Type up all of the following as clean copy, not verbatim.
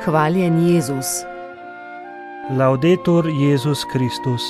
Hvaljen Jezus. Laudetur Jezus Kristus.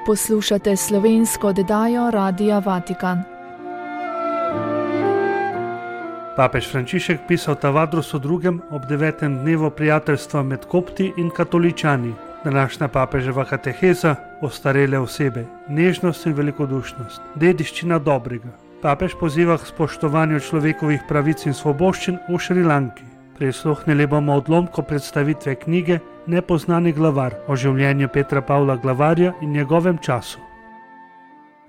Poslušate slovensko oddajo Radia Vatikan. Papež Frančišek pisal Tavadrusu II. Ob 9. dnevu prijateljstva med Kopti in katoličani. Današnja papeževa kateheza, ostarele osebe, nežnost in velikodušnost, dediščina dobrega. Papež poziva k spoštovanju človekovih pravic in svoboščin v Šrilanki. Prisluhnili bomo odlomku predstavitve knjige Nepoznani glavar o življenju Petra Pavla Glavarja in njegovem času.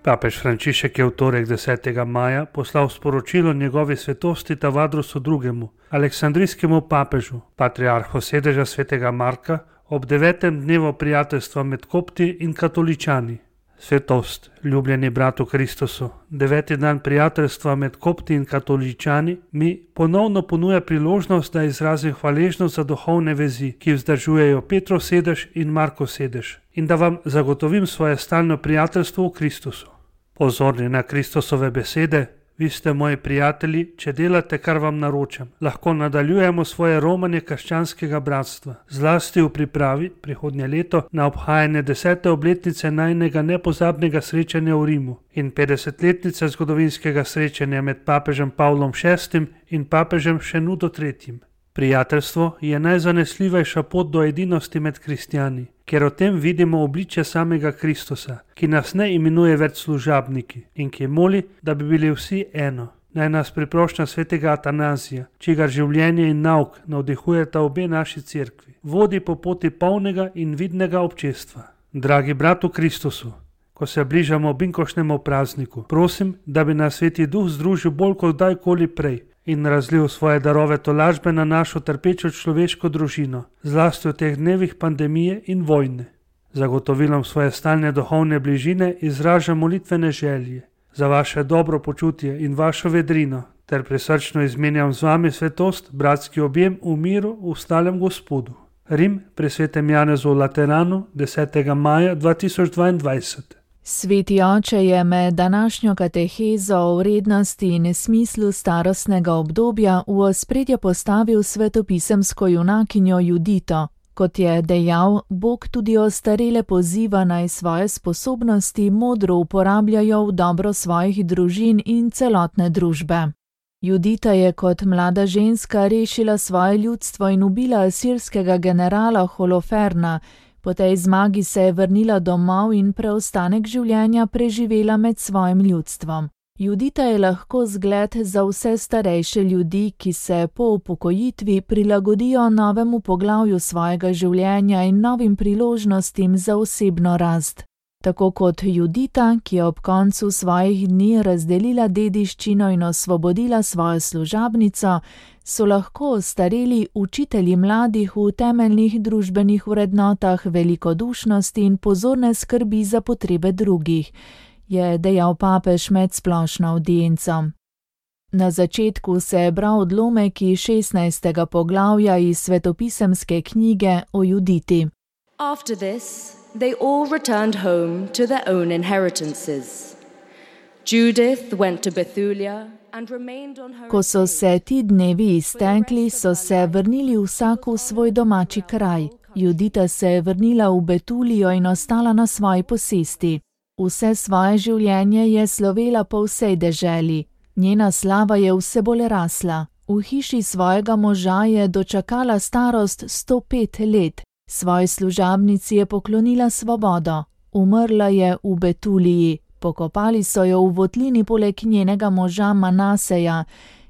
Papež Frančišek je v torek 10. maja poslal sporočilo njegovi svetosti Tavadrusu II., aleksandrijskemu papežu, patriarhu sedeža svetega Marka, ob 9. dnevu prijateljstva med Kopti in katoličani. Svetost, ljubljeni brat v Kristusu, 9. dan prijateljstva med Kopti in katoličani mi ponovno ponuja priložnost, da izrazim hvaležnost za duhovne vezi, ki vzdržujejo Petrov sedež in Markov sedež, in da vam zagotovim svoje stalno prijateljstvo v Kristusu. Pozorni na Kristusove besede, vi ste moji prijatelji, če delate, kar vam naročam. Lahko nadaljujemo svoje romanje krščanskega bratstva, zlasti v pripravi prihodnje leto na obhajanje 10. obletnice najinega nepozabnega srečanja v Rimu in 50-letnice zgodovinskega srečanja med papežem Pavlom VI. In papežem Šenudo III. Prijateljstvo je najzanesljivejša pot do edinosti med kristjani, ker o tem vidimo obličje samega Kristusa, ki nas ne imenuje več služabniki in ki moli, da bi bili vsi eno. Naj nas priprošnja svetega Atanazija, čigar življenje in nauk navdihujeta obe naši cerkvi, vodi po poti polnega in vidnega občestva. Dragi brat v Kristusu, ko se bližamo binkošnemu prazniku, prosim, da bi nas Sveti Duh združil bolj kot kdajkoli prej in razlil svoje darove tolažbe na našo trpečo človeško družino, zlasti v teh dnevih pandemije in vojne. Zagotovilom svoje stalne duhovne bližine izražam molitvene želje za vaše dobro počutje in vašo vedrino, ter prisrčno izmenjam z vami svetost, bratski objem v miru v stalem Gospodu. Rim pri svetem Janezu v Lateranu 10. maja 2022. Sveti oče je med današnjo katehezo o vrednosti in smislu starostnega obdobja v ospredje postavil svetopisemsko junakinjo Judito. Kot je dejal, Bog tudi ostarele poziva naj svoje sposobnosti modro uporabljajo v dobro svojih družin in celotne družbe. Judita je kot mlada ženska rešila svoje ljudstvo in ubila asirskega generala Holoferna. Po tej zmagi se je vrnila domov in preostanek življenja preživela med svojim ljudstvom. Judita je lahko zgled za vse starejše ljudi, ki se po upokojitvi prilagodijo novemu poglavju svojega življenja in novim priložnostim za osebno rast. Tako kot Judita, ki je ob koncu svojih dni razdelila dediščino in osvobodila svojo služabnico, so lahko ostareli učitelji mladih v temeljnih družbenih vrednotah velikodušnosti in pozorne skrbi za potrebe drugih, je dejal papež med splošno avdienco. Na začetku se je bral odlomek iz 16. poglavja iz svetopisemske knjige o Juditi. After this, they all returned home to their own inheritances. Judith went to Bethulia and remained on her. Ko so se ti dnevi iztekli, so se vrnili vsak v svoj domači kraj. Judita se je vrnila v Betulijo in ostala na svoji posesti. Vse svoje življenje je slovela po vsej deželi. Njena slava je vse bolj rasla. V hiši svojega moža je dočakala starost 105 let. Svoji služabnici je poklonila svobodo. Umrla je v Betuliji. Pokopali so jo v votlini poleg njenega moža Manaseja.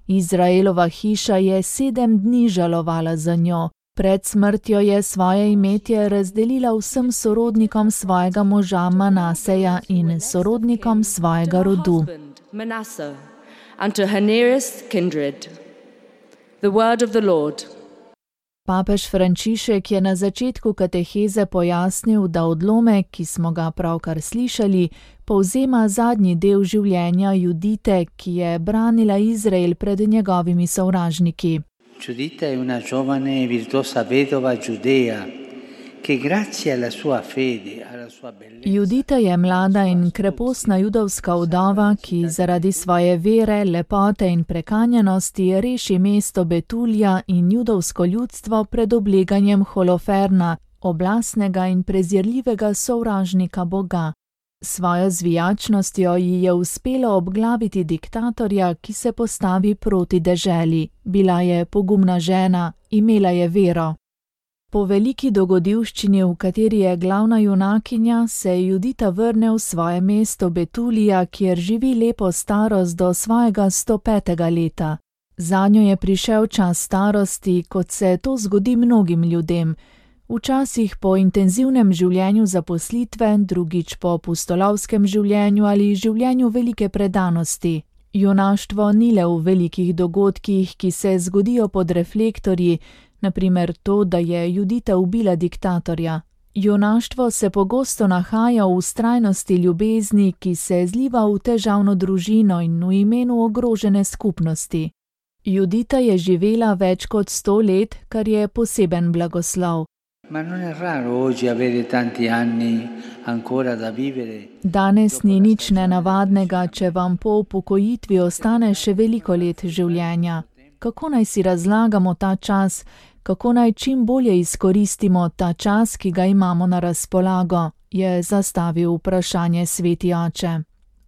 Izraelova hiša je 7 dni žalovala za njo. Pred smrtjo je svoje imetje razdelila vsem sorodnikom svojega moža Manaseja in sorodnikom svojega rodu. Papež Frančišek je na začetku kateheze pojasnil, da odlomek, ki smo ga pravkar slišali, povzema zadnji del življenja Judite, ki je branila Izrael pred njegovimi sovražniki. Giuditta è una giovane e virtuosa vedova giudea Judita je mlada in krepostna judovska vdova, ki zaradi svoje vere, lepote in prekanjenosti reši mesto Betulija in judovsko ljudstvo pred obleganjem Holoferna, oblastnega in prezirljivega sovražnika Boga. Svojo zvijačnostjo ji je uspelo obglaviti diktatorja, ki se postavi proti deželi. Bila je pogumna žena, imela je vero. Po veliki dogodivščini, v kateri je glavna junakinja, se Judita vrne v svoje mesto Betulija, kjer živi lepo starost do svojega 105. leta. Zanjo je prišel čas starosti, kot se to zgodi mnogim ljudem. Včasih po intenzivnem življenju zaposlitve, drugič po pustolovskem življenju ali življenju velike predanosti. Junaštvo ni le v velikih dogodkih, ki se zgodijo pod reflektorji, na primer to, da je Judita ubila diktatorja. Junaštvo se pogosto nahaja v vztrajnosti ljubezni, ki se zliva v težavno družino in v imenu ogrožene skupnosti. Judita je živela več kot 100 let, kar je poseben blagoslov. Danes ni nič nenavadnega, če vam po upokojitvi ostane še veliko let življenja. Kako naj si razlagamo ta čas, kako naj čim bolje izkoristimo ta čas, ki ga imamo na razpolago, je zastavil vprašanje sveti oče.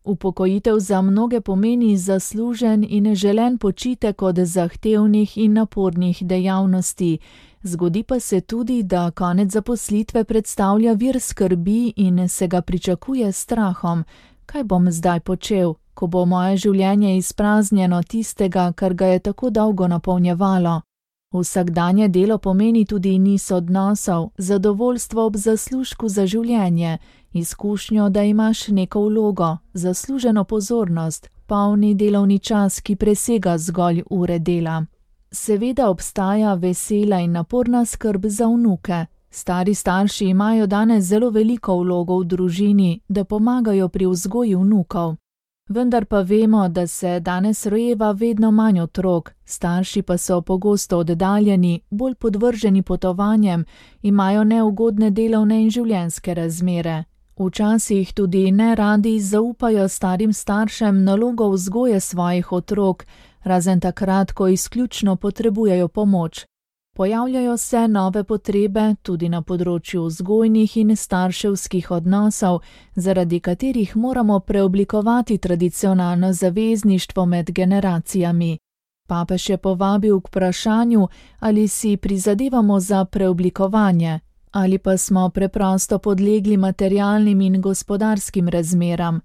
Upokojitev za mnoge pomeni zaslužen in želen počitek od zahtevnih in napornih dejavnosti. Zgodi pa se tudi, da konec zaposlitve predstavlja vir skrbi in se ga pričakuje s strahom. Kaj bom zdaj počel, ko bo moje življenje izpraznjeno tistega, kar ga je tako dolgo napolnjevalo? Vsakdanje delo pomeni tudi niz odnosov, zadovoljstvo ob zaslužku za življenje, izkušnjo, da imaš neko vlogo, zasluženo pozornost, polni delovni čas, ki presega zgolj ure dela. Seveda obstaja vesela in naporna skrb za vnuke. Stari starši imajo danes zelo veliko vlogo v družini, da pomagajo pri vzgoji vnukov. Vendar pa vemo, da se danes rojeva vedno manj otrok, starši pa so pogosto oddaljeni, bolj podvrženi potovanjem, imajo neugodne delovne in življenjske razmere. Včasih tudi neradi zaupajo starim staršem nalogo vzgoje svojih otrok, razen takrat, ko izključno potrebujejo pomoč. Pojavljajo se nove potrebe tudi na področju vzgojnih in starševskih odnosov, zaradi katerih moramo preoblikovati tradicionalno zavezništvo med generacijami. Papež je povabil k vprašanju, ali si prizadevamo za preoblikovanje, ali pa smo preprosto podlegli materialnim in gospodarskim razmeram.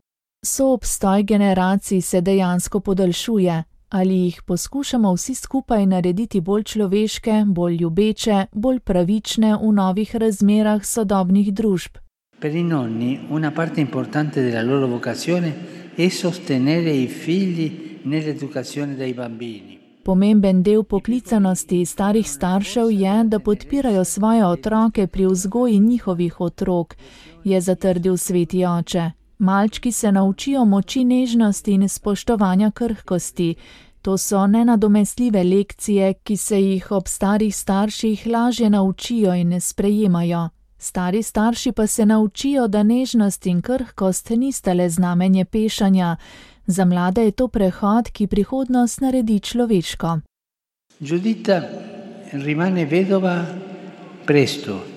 Soobstoj generacij se dejansko podaljšuje. Ali jih poskušamo vsi skupaj narediti bolj človeške, bolj ljubeče, bolj pravične v novih razmerah sodobnih družb? Per i nonni una parte importante della loro vocazione è sostenere i figli nell'educazione dei bambini. Pomemben del poklicanosti starih staršev je, da podpirajo svoje otroke pri vzgoji njihovih otrok, je zatrdil sveti oče. Malčki se naučijo moči nežnosti in spoštovanja krhkosti. To so nenadomestljive lekcije, ki se jih ob starih starših lažje naučijo in ne sprejemajo. Stari starši pa se naučijo, da nežnost in krhkost nista le znamenje pešanja. Za mlade je to prehod, ki prihodnost naredi človeško. Judita rimane vedova presto.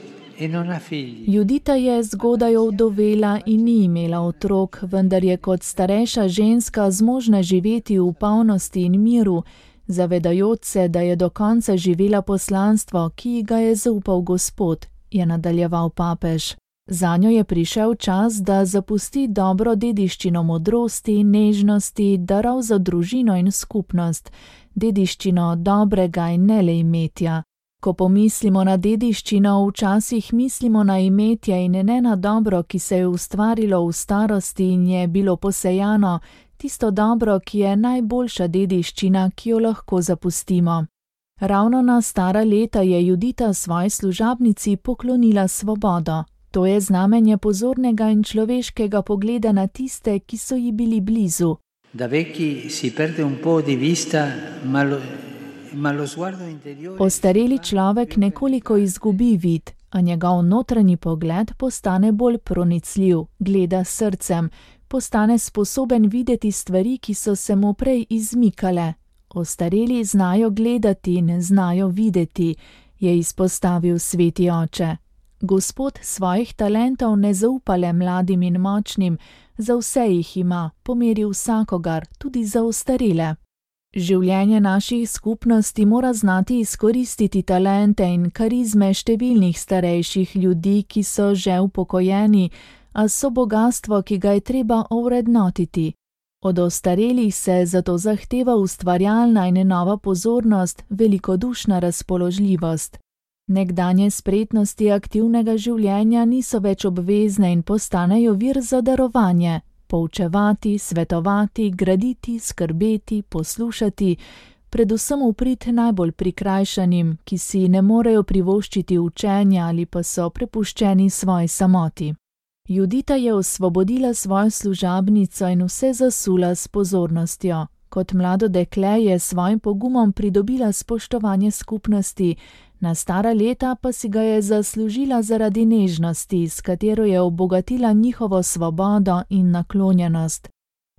Judita je zgodaj ovdovela in ni imela otrok, vendar je kot starejša ženska zmožna živeti v polnosti in miru, zavedajoč se, da je do konca živela poslanstvo, ki ga je zaupal Gospod, je nadaljeval papež. Zanjo je prišel čas, da zapusti dobro dediščino modrosti, nežnosti, darov za družino in skupnost, dediščino dobrega in ne le imetja. Ko pomislimo na dediščino, včasih mislimo na imetje in ne na dobro, ki se je ustvarilo v starosti in je bilo posejano, tisto dobro, ki je najboljša dediščina, ki jo lahko zapustimo. Ravno na stara leta je Judita svoji služabnici poklonila svobodo. To je znamenje pozornega in človeškega pogleda na tiste, ki so ji bili blizu. Da vecchi si perde un po' di vista, Ostareli človek nekoliko izgubi vid, a njegov notranji pogled postane bolj pronicljiv, gleda s srcem, postane sposoben videti stvari, ki so se mu prej izmikale. Ostareli znajo gledati, ne znajo videti, je izpostavil sveti oče. Gospod svojih talentov ne zaupa le mladim in močnim, za vse jih ima, pomeri vsakogar, tudi za ostarele. Življenje naših skupnosti mora znati izkoristiti talente in karizme številnih starejših ljudi, ki so že upokojeni, a so bogastvo, ki ga je treba ovrednotiti. Od ostarelih se zato zahteva ustvarjalna in nova pozornost, velikodušna razpoložljivost. Nekdanje spretnosti aktivnega življenja niso več obvezne in postanejo vir za darovanje. Poučevati, svetovati, graditi, skrbeti, poslušati, predvsem v prid najbolj prikrajšanim, ki si ne morejo privoščiti učenja ali pa so prepuščeni svoji samoti. Judita je osvobodila svojo služabnico in vse zasula s pozornostjo. Kot mlado dekle je s svojim pogumom pridobila spoštovanje skupnosti, na stara leta pa si ga je zaslužila zaradi nežnosti, s katero je obogatila njihovo svobodo in naklonjenost.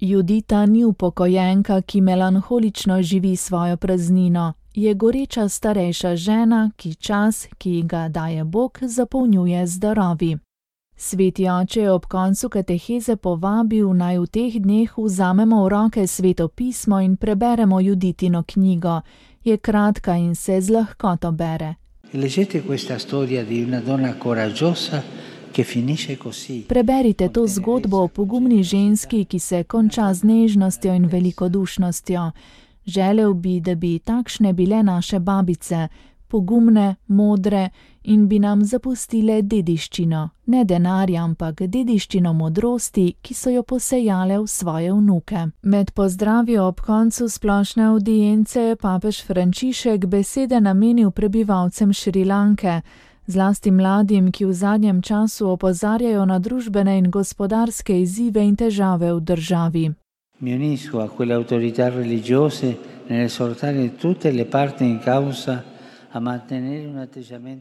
Judita ni upokojenka, ki melanholično živi svojo praznino, je goreča starejša žena, ki čas, ki ga daje Bog, zapolnjuje z darovi. Sveti oče je ob koncu kateheze povabil, naj v teh dneh vzamemo v roke Sveto pismo in preberemo Juditino knjigo. Je kratka in se z lahkoto bere. Preberite to zgodbo o pogumni ženski, ki se konča z nežnostjo in velikodušnostjo. Želel bi, da bi takšne bile naše babice, pogumne, modre in bi nam zapustile dediščino, ne denarja, ampak dediščino modrosti, ki so jo posejale v svoje vnuke. Med pozdravi ob koncu splošne avdience je papež Frančišek besede namenil prebivalcem Šrilanke, zlasti mladim, ki v zadnjem času opozarjajo na družbene in gospodarske izzive in težave v državi. Mi unisco a quelle autorità religiose nell'esortare tutte le parti in causa.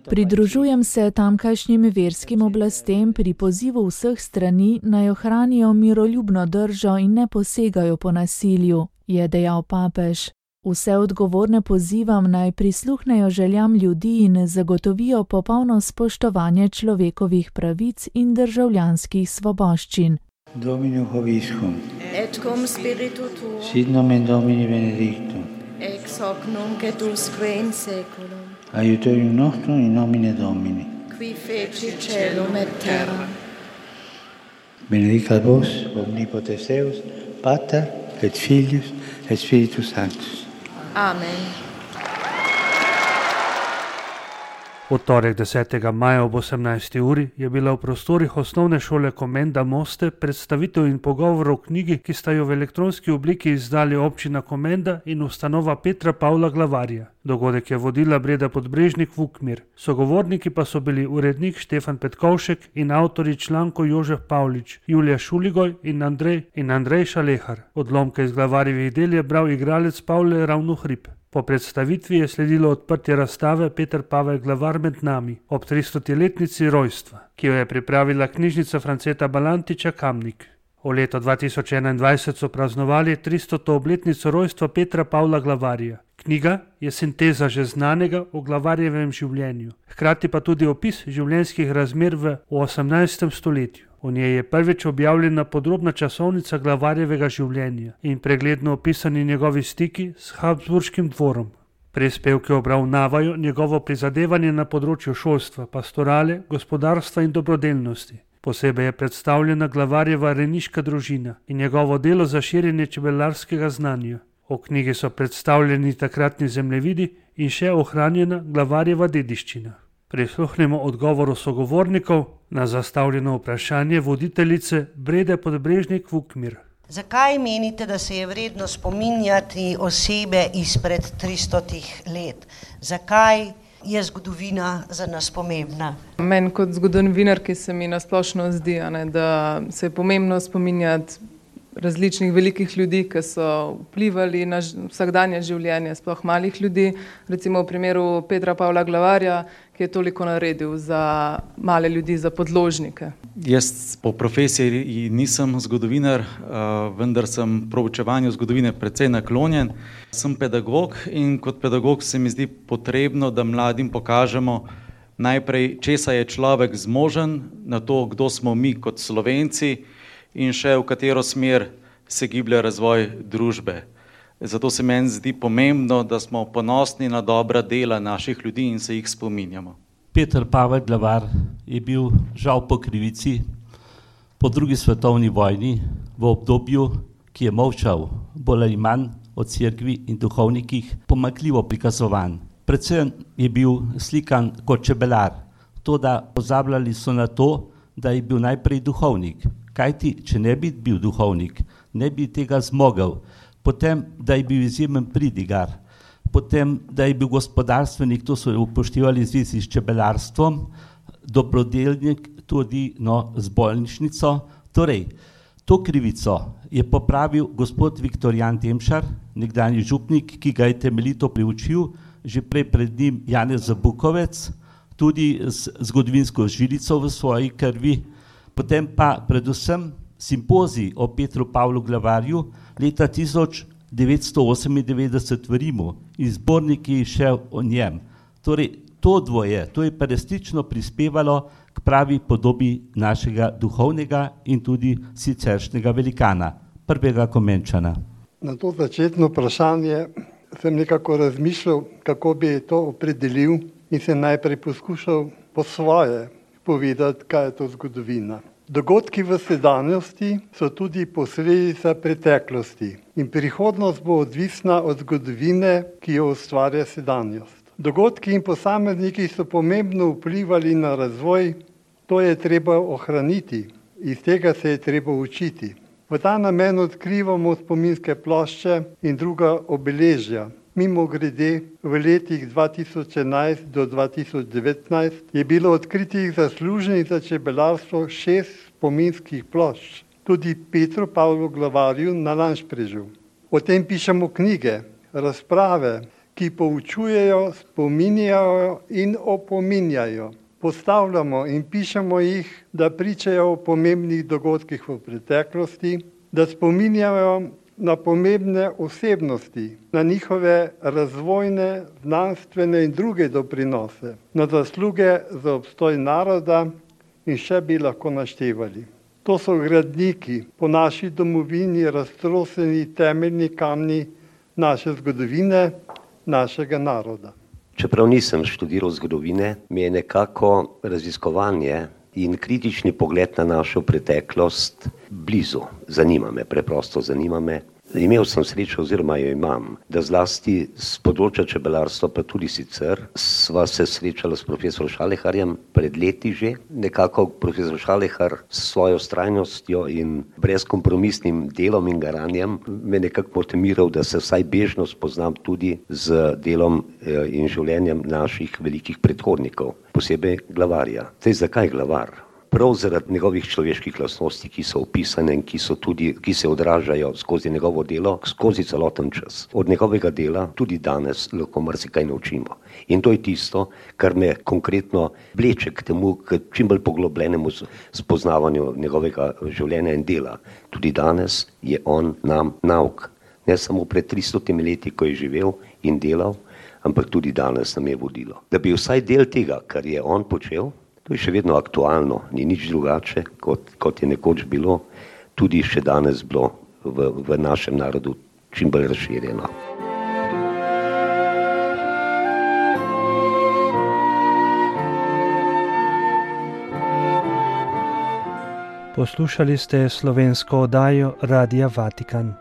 Pridružujem se tamkajšnjim verskim oblastem pri pozivu vseh strani, naj ohranijo miroljubno držo in ne posegajo po nasilju, je dejal papež. Vse odgovorne pozivam, naj prisluhnejo željam ljudi in zagotovijo popolno spoštovanje človekovih pravic in državljanskih svoboščin. Dominum vobiscum. Et cum spiritu tuo. Sit nomen Domini benedictum. Ex hoc nunc et usque in seculum. Aiutorium nostrum in nomine Domini. Qui feci celum et terra. Benedicat vos, omnipotens Deus, Pater et Filius et Spiritus Sanctus. Amen. V torek 10. maja ob 18. uri je bila v prostorih osnovne šole Komenda Moste predstavitev in pogovor o knjigi, ki sta jo v elektronski obliki izdali občina Komenda in ustanova Petra Pavla Glavarja. Dogodek je vodila Breda Podbrežnik Vukmir. Sogovorniki pa so bili urednik Štefan Petkovšek in avtorji člankov Jožef Pavlič, Julija Šuligoj in Andrej Šalehar. Odlomke iz Glavarjevih del je bral igralec Pavle Ravnohrib. Po predstavitvi je sledilo odprtje razstave Peter Pavel Glavar med nami ob 300-letnici rojstva, ki jo je pripravila knjižnica Franceta Balantiča Kamnik. V letu 2021 so praznovali 300. obletnico rojstva Petra Pavla Glavarja. Knjiga je sinteza že znanega o Glavarjevem življenju, hkrati pa tudi opis življenjskih razmer v 18. stoletju. V njej je prvič objavljena podrobna časovnica Glavarjevega življenja in pregledno opisani njegovi stiki s Habsburškim dvorom. Prispevki obravnavajo njegovo prizadevanje na področju šolstva, pastorale, gospodarstva in dobrodelnosti. Posebej je predstavljena Glavarjeva rejniška družina in njegovo delo za širjenje čebelarskega znanja. V knjigi so predstavljeni takratni zemljevidi in še ohranjena Glavarjeva dediščina. Prisluhnemo odgovoru sogovornikov na zastavljeno vprašanje voditeljice Brede Podbrežnik Vukmir. Zakaj menite, da se je vredno spominjati osebe izpred 300 let? Zakaj je zgodovina za nas pomembna? Meni kot zgodovinarki se mi nasplošno zdi, da se je pomembno spominjati različnih velikih ljudi, ki so vplivali na vsakdanje življenje, sploh malih ljudi. Recimo v primeru Petra Pavla Glavarja, ki je toliko naredil za male ljudi, za podložnike. Jaz po profesiji nisem zgodovinar, vendar sem proučevanju zgodovine precej naklonjen. Sem pedagog in kot pedagog se mi zdi potrebno, da mladim pokažemo najprej, česa je človek zmožen, na to, kdo smo mi kot Slovenci in še v katero smer se giblje razvoj družbe. Zato se meni zdi pomembno, da smo ponosni na dobra dela naših ljudi in se jih spominjamo. Peter Pavel Glavar je bil žal po krivici po drugi svetovni vojni v obdobju, ki je molčal bolj ali manj o cerkvi in duhovnikih, pomanjkljivo prikazovan. Predvsem je bil slikan kot čebelar, toda pozabljali so na to, da je bil najprej duhovnik. Kajti, če ne bi bil duhovnik, ne bi tega zmogel. Potem, da je bil izjemen pridigar, potem, da je bil gospodarstvenik, to so upoštevali v zvezi s čebelarstvom, dobrodelnik tudi z bolnišnico. Torej, to krivico je popravil gospod Viktorjan Demšar, nekdanji župnik, ki ga je temeljito priučil, že prej pred njim Janez Zabukovec, tudi z zgodovinsko žilico v svoji krvi, potem pa predvsem simpozij o Petru Pavlu Glavarju leta 1998 v Rimu in zborniki še o njem. Torej, to dvoje, to je pa resnično prispevalo k pravi podobi našega duhovnega in tudi siceršnjega velikana, prvega Komenčana. Na to začetno vprašanje sem nekako razmišljal, kako bi to opredelil in sem najprej poskušal po svoje povedati, kaj je to zgodovina. Dogodki v sedanjosti so tudi posledica preteklosti in prihodnost bo odvisna od zgodovine, ki jo ustvarja sedanjost. Dogodki in posamezniki so pomembno vplivali na razvoj, to je treba ohraniti, iz tega se je treba učiti. V ta namen odkrivamo spominske plošče in druga obeležja. Mimogrede, v letih 2011 do 2019 je bilo odkritih zaslužnih za čebelarstvo 6 spominskih plošč, tudi Petru Pavlu Glavarju na Lanšprežu. O tem pišemo knjige, razprave, ki poučujejo, spominjajo in opominjajo. Postavljamo in pišemo jih, da pričajo o pomembnih dogodkih v preteklosti, da spominjajo na pomembne osebnosti, na njihove razvojne, znanstvene in druge doprinose, na zasluge za obstoj naroda in še bi lahko naštevali. To so gradniki po naši domovini raztroseni temeljni kamni naše zgodovine, našega naroda. Čeprav nisem študiral zgodovine, mi je nekako raziskovanje in kritični pogled na našo preteklost blizu. Preprosto zanima me. Imel sem srečo oziroma jo imam, da zlasti z področja čebelarstva, pa tudi sicer, sva se srečala s profesor Šaleharjem pred leti že. Nekako profesor Šalehar s svojo vztrajnostjo in brezkompromisnim delom in garanjem me nekako motiviral, da se vsaj bežno spoznam tudi z delom in življenjem naših velikih predhodnikov, posebej Glavarja. Zakaj Glavar? Prav zaradi njegovih človeških lastnosti, ki so opisane in ki se odražajo skozi njegovo delo, skozi celoten čas. Od njegovega dela tudi danes lahko marsikaj naučimo. In to je tisto, kar me konkretno vleče k temu, k čim bolj poglobljenemu spoznavanju njegovega življenja in dela. Tudi danes je on nam nauk. Ne samo pred 300 leti, ko je živel in delal, ampak tudi danes nam je vodilo. Da bi vsaj del tega, kar je on počel, to je še vedno aktualno, ni nič drugače, kot je nekoč bilo, tudi še danes bilo v našem narodu čim bolj razširjeno. Poslušali ste slovensko oddajo Radia Vatikan.